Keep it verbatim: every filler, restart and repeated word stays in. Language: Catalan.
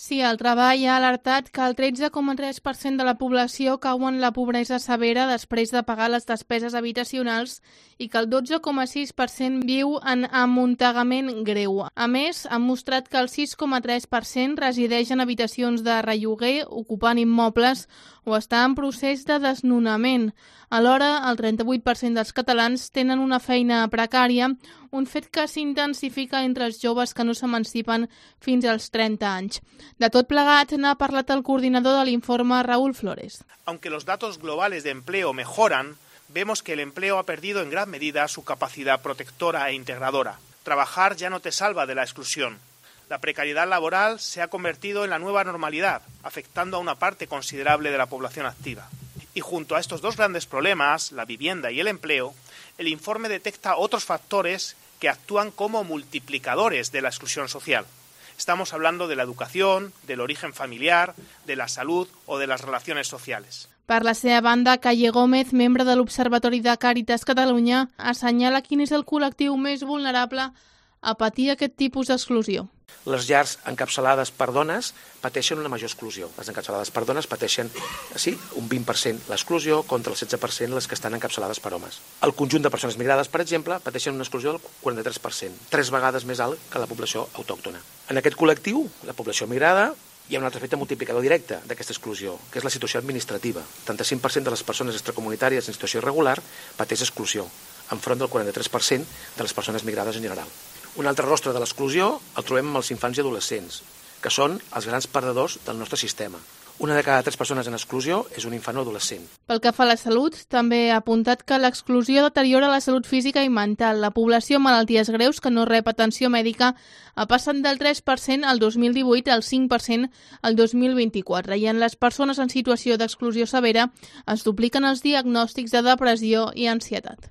Sí, el Treball ha alertat que el tretze coma tres per cent de la població cau en la pobresa severa després de pagar les despeses habitacionals i que el dotze coma sis per cent viu en amuntegament greu. A més, han mostrat que el sis coma tres per cent resideix en habitacions de relloguer, ocupant immobles o està en procés de desnonament. Alhora, el trenta-vuit per cent dels catalans tenen una feina precària, un fet que s'intensifica entre els joves que no s'emancipen fins als trenta anys. De tot plegat, n'ha parlat el coordinador de l'informe, Raúl Flores. Aunque los datos globales de empleo mejoran, vemos que el empleo ha perdido en gran medida su capacidad protectora e integradora. Trabajar ya no te salva de la exclusión. La precariedad laboral se ha convertido en la nueva normalidad, afectando a una parte considerable de la población activa. Y junto a estos dos grandes problemas, la vivienda y el empleo, el informe detecta otros factores que actúan como multiplicadores de la exclusión social. Estamos hablando de la educación, del origen familiar, de la salud o de las relaciones sociales. Per la seva banda, Calle Gómez, membre de l'Observatori de Càritas Catalunya, assenyala quin és el col·lectiu més vulnerable a patir aquest tipus d'exclusió. Les llars encapçalades per dones pateixen una major exclusió. Les encapçalades per dones pateixen, sí, un vint per cent l'exclusió contra el setze per cent les que estan encapçalades per homes. El conjunt de persones migrades, per exemple, pateixen una exclusió del quaranta-tres per cent, tres vegades més alt que la població autòctona. En aquest col·lectiu, la població migrada, hi ha un altre efecte multiplicador directe d'aquesta exclusió, que és la situació administrativa. El setanta-cinc per cent de les persones extracomunitàries en situació irregular pateix exclusió, enfront del quaranta-tres per cent de les persones migrades en general. Un altre rostre de l'exclusió el trobem amb els infants i adolescents, que són els grans perdedors del nostre sistema. Una de cada tres persones en exclusió és un infant o adolescent. Pel que fa a la salut, també ha apuntat que l'exclusió deteriora la salut física i mental. La població amb malalties greus que no rep atenció mèdica ha passat del tres per cent al dos mil divuit al cinc per cent al dos mil vint-i-quatre i en les persones en situació d'exclusió severa es dupliquen els diagnòstics de depressió i ansietat.